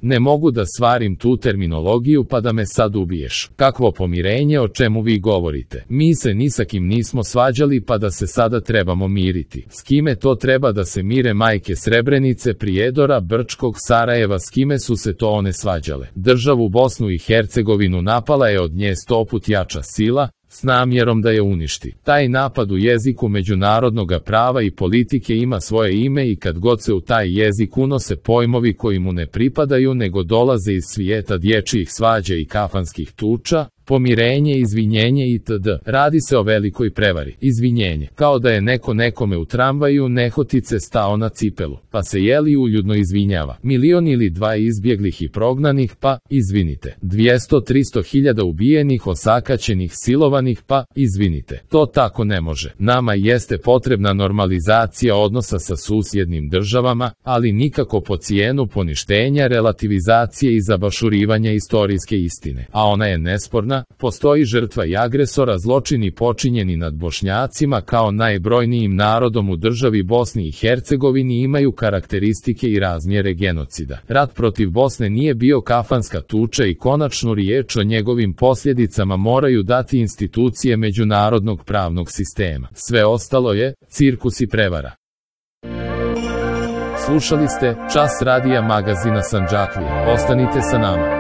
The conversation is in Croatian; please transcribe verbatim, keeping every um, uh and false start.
Ne mogu da svarim tu terminologiju pa da me sad ubiješ. Kakvo pomirenje, o čemu vi govorite? Mi se ni sa kim nismo svađali pa da se sada trebamo miriti. S kime to treba da se mire majke Srebrenice, Prijedora, Brčkog, Sarajeva, s kime su se to one svađale? Državu Bosnu i Hercegovinu napala je od nje stoput jača sila, s namjerom da je uništi. Taj napad u jeziku međunarodnog prava i politike ima svoje ime i kad god se u taj jezik unose pojmovi koji mu ne pripadaju nego dolaze iz svijeta dječjih svađa i kafanskih tuča, pomirenje, izvinjenje itd. Radi se o velikoj prevari. Izvinjenje. Kao da je neko nekome u tramvaju nehotice stao na cipelu, pa se jeli uljudno izvinjava. Milion ili dva izbjeglih i prognanih, pa izvinite. dvjesto do tristo hiljada ubijenih, osakaćenih, silovanih, pa izvinite. To tako ne može. Nama jeste potrebna normalizacija odnosa sa susjednim državama, ali nikako po cijenu poništenja, relativizacije i zabašurivanja istorijske istine. A ona je nesporna. Postoji žrtva i agresora, zločini počinjeni nad Bošnjacima kao najbrojnijim narodom u državi Bosni i Hercegovini imaju karakteristike i razmjere genocida. Rat protiv Bosne nije bio kafanska tuča i konačnu riječ o njegovim posljedicama moraju dati institucije međunarodnog pravnog sistema. Sve ostalo je cirkus i prevara. Slušali ste Čas radija magazina Sandžaklija. Ostanite sa nama.